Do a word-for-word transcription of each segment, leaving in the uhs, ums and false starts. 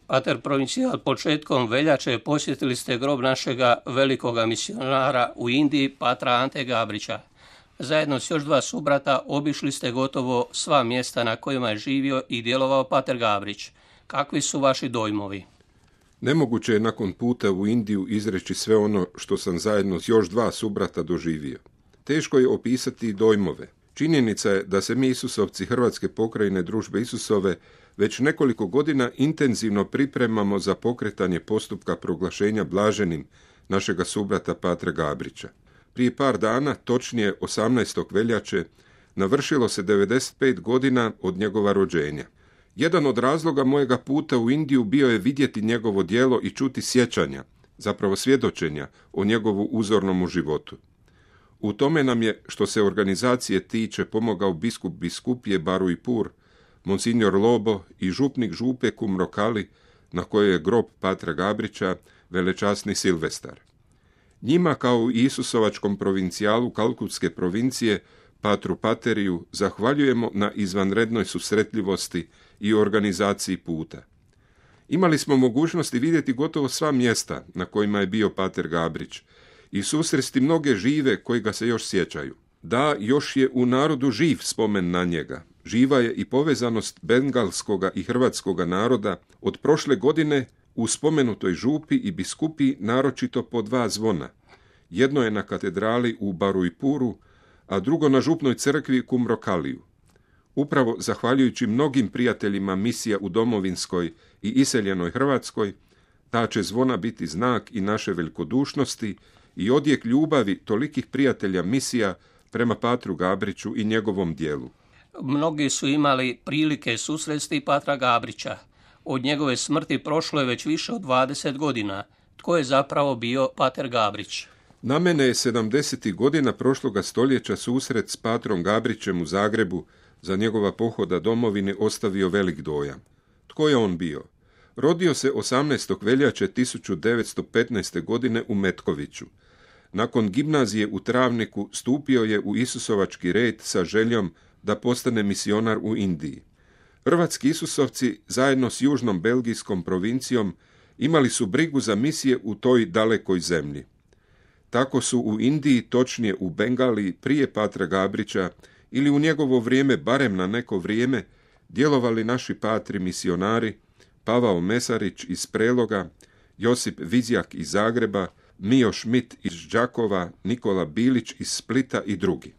Pater provincijal, početkom veljače posjetili ste grob našega velikoga misionara u Indiji, patra Ante Gabrića. Zajedno s još dva subrata obišli ste gotovo sva mjesta na kojima je živio i djelovao pater Gabrić. Kakvi su vaši dojmovi? Nemoguće je nakon puta u Indiju izreći sve ono što sam zajedno s još dva subrata doživio. Teško je opisati dojmove. Činjenica je da se mi Isusovci Hrvatske pokrajine Družbe Isusove već nekoliko godina intenzivno pripremamo za pokretanje postupka proglašenja blaženim našega subrata patra Gabrića. Prije par dana, točnije osamnaestog veljače, navršilo se devedeset pet godina od njegova rođenja. Jedan od razloga mojega puta u Indiju bio je vidjeti njegovo djelo i čuti sjećanja, zapravo svjedočenja o njegovu uzornomu životu. U tome nam je, što se organizacije tiče, pomogao biskup biskupije Baruipur, monsignor Lobo i župnik župe Kumrokali, na kojoj je grob patra Gabrića, velečasni Silvestar. Njima, kao i Isusovačkom provincijalu Kalkutske provincije, patru Pateriju, zahvaljujemo na izvanrednoj susretljivosti i organizaciji puta. Imali smo mogućnosti vidjeti gotovo sva mjesta na kojima je bio pater Gabrić i susresti mnoge žive koji ga se još sjećaju. Da, još je u narodu živ spomen na njega. Živa je i povezanost bengalskoga i hrvatskoga naroda od prošle godine u spomenutoj župi i biskupi naročito po dva zvona. Jedno je na katedrali u Baruipuru, a drugo na župnoj crkvi Kumrokaliju. Upravo zahvaljujući mnogim prijateljima misija u domovinskoj i iseljenoj Hrvatskoj, ta će zvona biti znak i naše velikodušnosti i odjek ljubavi tolikih prijatelja misija prema patru Gabriću i njegovom dijelu. Mnogi su imali prilike susresti patra Gabrića. Od njegove smrti prošlo je već više od dvadeset godina. Tko je zapravo bio pater Gabrić? Na mene je sedamdesetih godina prošloga stoljeća susret s patrom Gabrićem u Zagrebu za njegova pohoda domovine ostavio velik dojam. Tko je on bio? Rodio se osamnaestog veljače tisuću devetsto petnaeste. godine u Metkoviću. Nakon gimnazije u Travniku stupio je u Isusovački red sa željom da postane misionar u Indiji. Hrvatski Isusovci zajedno s južnom belgijskom provincijom imali su brigu za misije u toj dalekoj zemlji. Tako su u Indiji, točnije u Bengaliji, prije patra Gabrića ili u njegovo vrijeme, barem na neko vrijeme, djelovali naši patri misionari Pavao Mesarić iz Preloga, Josip Vizjak iz Zagreba, Mijo Šmit iz Đakova, Nikola Bilić iz Splita i drugi.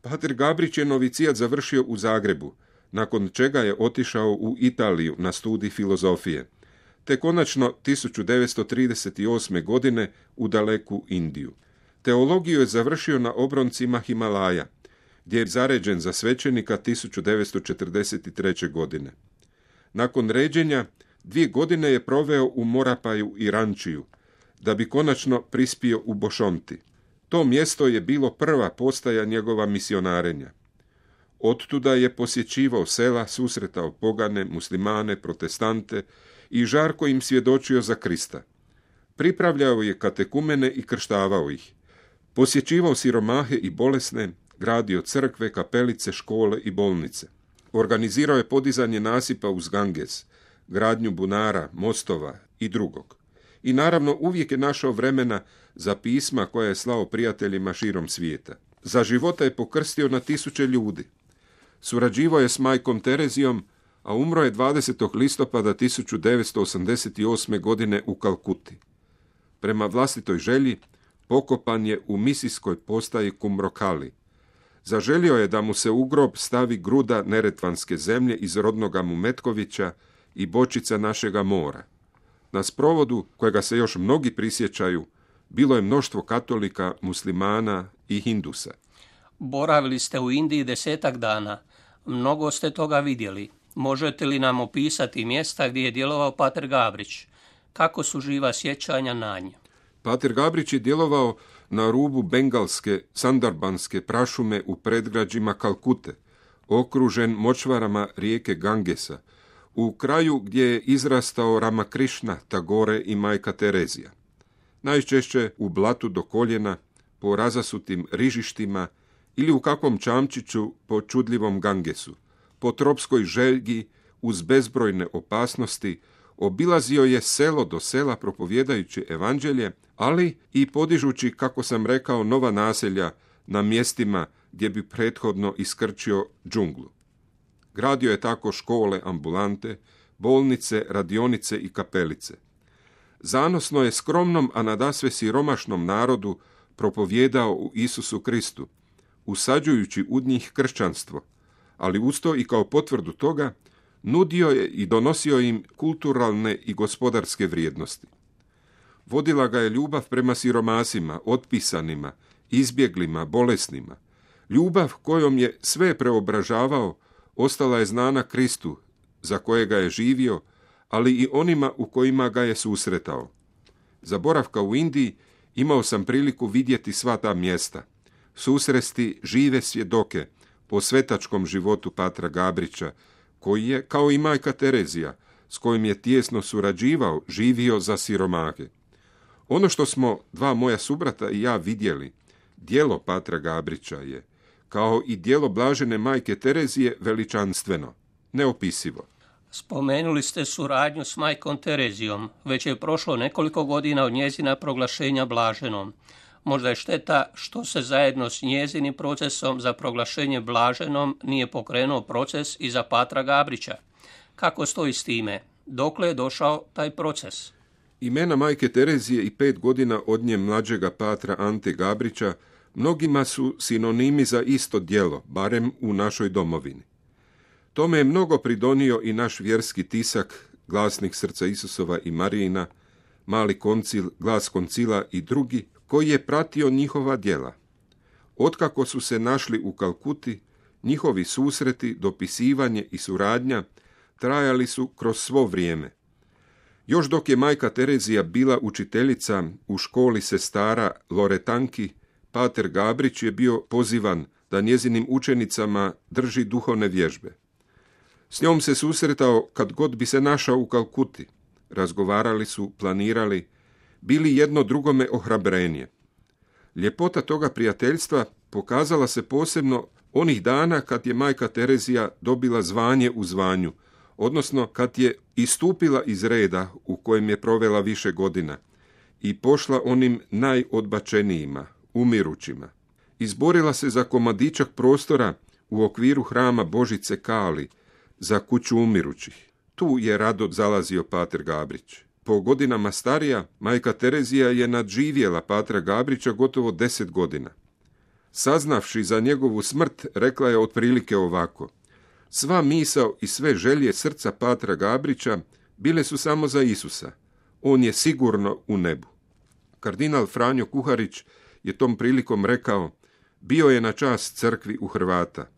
Pater Gabrić je novicijat završio u Zagrebu, nakon čega je otišao u Italiju na studij filozofije, te konačno tisuću devetsto trideset osme. godine u daleku Indiju. Teologiju je završio na obroncima Himalaja, gdje je zaređen za svećenika tisuću devetsto četrdeset treće. godine. Nakon ređenja, dvije godine je proveo u Morapaju i Rančiju, da bi konačno prispio u Bošonti. To mjesto je bilo prva postaja njegova misionarenja. Ottuda je posjećivao sela, susretao pogane, muslimane, protestante i žarko im svjedočio za Krista. Pripravljao je katekumene i krštavao ih. Posjećivao siromahe i bolesne, gradio crkve, kapelice, škole i bolnice. Organizirao je podizanje nasipa uz Ganges, gradnju bunara, mostova i drugog. I naravno uvijek je našao vremena za pisma koja je slao prijateljima širom svijeta. Za života je pokrstio na tisuće ljudi. Surađivao je s majkom Terezijom, a umro je dvadesetog listopada tisuću devetsto osamdeset osme. godine u Kalkuti. Prema vlastitoj želji pokopan je u misijskoj postaji Kumrokali. Zaželio je da mu se u grob stavi gruda neretvanske zemlje iz rodnoga mu Metkovića i bočica našega mora. Na sprovodu, kojega se još mnogi prisjećaju, bilo je mnoštvo katolika, muslimana i hindusa. Boravili ste u Indiji desetak dana. Mnogo ste toga vidjeli. Možete li nam opisati mjesta gdje je djelovao pater Gabrić? Kako su živa sjećanja na nje? Pater Gabrić je djelovao na rubu bengalske, sandarbanske prašume u predgrađima Kalkute, okružen močvarama rijeke Gangesa, u kraju gdje je izrastao Ramakrišna, Tagore i majka Terezija. Najčešće u blatu do koljena, po razasutim rižištima ili u kakvom čamčiću po čudljivom Gangesu, po tropskoj želji uz bezbrojne opasnosti, Obilazio je selo do sela propovjedajući evanđelje, ali i podižući, kako sam rekao, nova naselja na mjestima gdje bi prethodno iskrčio džunglu. Gradio je tako škole, ambulante, bolnice, radionice i kapelice. Zanosno je skromnom, a nadasve siromašnom narodu propovjedao u Isusu Kristu, usađujući u njih kršćanstvo, ali usto i kao potvrdu toga nudio je i donosio im kulturalne i gospodarske vrijednosti. Vodila ga je ljubav prema siromasima, otpisanima, izbjeglima, bolesnima. Ljubav kojom je sve preobražavao ostala je znana Kristu, za kojega je živio, ali i onima u kojima ga je susretao. Za boravka u Indiji imao sam priliku vidjeti sva ta mjesta, susresti žive svjedoke o svetačkom životu patra Gabrića, koji je, kao i majka Terezija, s kojim je tijesno surađivao, živio za siromahe. Ono što smo dva moja subrata i ja vidjeli, djelo patra Gabrića je, kao i djelo blažene majke Terezije, veličanstveno, neopisivo. Spomenuli ste suradnju s majkom Terezijom. Već je prošlo nekoliko godina od njezina proglašenja blaženom. Možda je šteta što se zajedno s njezinim procesom za proglašenje blaženom nije pokrenuo proces i za patra Gabrića. Kako stoji s time? Dokle je došao taj proces? Imena majke Terezije i pet godina od nje mlađega patra Ante Gabrića mnogima su sinonimi za isto djelo, barem u našoj domovini. Tome je mnogo pridonio i naš vjerski tisak, Glasnik srca Isusova i Marijina, Mali koncil, Glas koncila i drugi, koji je pratio njihova djela. Otkako su se našli u Kalkuti, njihovi susreti, dopisivanje i suradnja trajali su kroz svo vrijeme. Još dok je majka Terezija bila učiteljica u školi sestara Loretanki, pater Gabrić je bio pozivan da njezinim učenicama drži duhovne vježbe. S njom se susretao kad god bi se našao u Kalkuti. Razgovarali su, planirali, bili jedno drugome ohrabrenje. Ljepota toga prijateljstva pokazala se posebno onih dana kad je majka Terezija dobila zvanje u zvanju, odnosno kad je istupila iz reda u kojem je provela više godina i pošla onim najodbačenijima, umirućima. Izborila se za komadičak prostora u okviru hrama Božice Kali, za kuću umirućih. Tu je rado zalazio pater Gabrić. Po godinama starija, majka Terezija je nadživjela patra Gabrića gotovo deset godina. Saznavši za njegovu smrt, rekla je otprilike ovako: sva misao i sve želje srca patra Gabrića bile su samo za Isusa. On je sigurno u nebu. Kardinal Franjo Kuharić je tom prilikom rekao: bio je na čast crkvi u Hrvata.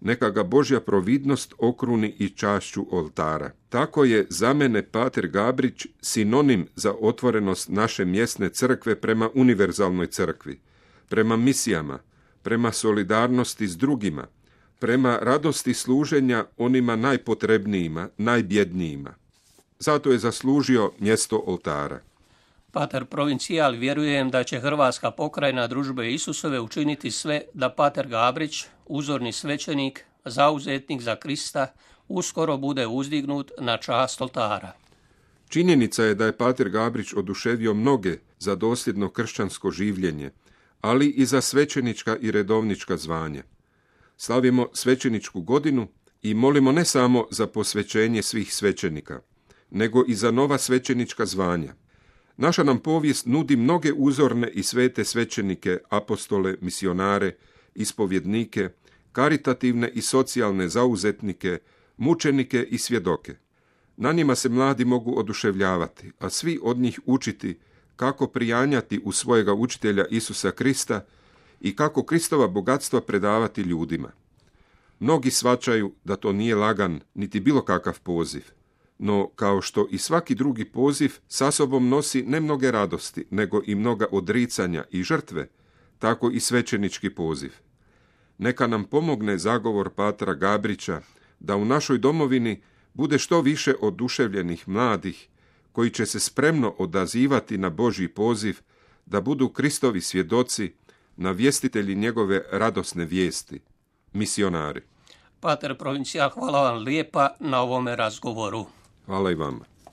Neka ga Božja providnost okruni i čašću oltara. Tako je za mene pater Gabrić sinonim za otvorenost naše mjesne crkve prema univerzalnoj crkvi, prema misijama, prema solidarnosti s drugima, prema radosti služenja onima najpotrebnijima, najbjednijima. Zato je zaslužio mjesto oltara. Pater provincijal, vjerujem da će Hrvatska pokrajina Družbe Isusove učiniti sve da pater Gabrić, uzorni svećenik, zauzetnik za Krista, uskoro bude uzdignut na čast oltara. Činjenica je da je pater Gabrić oduševio mnoge za dosljedno kršćansko življenje, ali i za svećenička i redovnička zvanja. Slavimo svećeničku godinu i molimo ne samo za posvećenje svih svećenika, nego i za nova svećenička zvanja. Naša nam povijest nudi mnoge uzorne i svete svećenike, apostole, misionare, ispovjednike, karitativne i socijalne zauzetnike, mučenike i svjedoke. Na njima se mladi mogu oduševljavati, a svi od njih učiti kako prijanjati u svojega učitelja Isusa Krista i kako Kristova bogatstva predavati ljudima. Mnogi shvaćaju da to nije lagan niti bilo kakav poziv. No, kao što i svaki drugi poziv sa sobom nosi ne mnoge radosti, nego i mnoga odricanja i žrtve, tako i svećenički poziv. Neka nam pomogne zagovor patra Gabrića da u našoj domovini bude što više oduševljenih mladih koji će se spremno odazivati na Božji poziv da budu Kristovi svjedoci, navjestitelji njegove radosne vijesti, misionari. Pater provincijal, hvala vam lijepa na ovome razgovoru. Hvala i vama.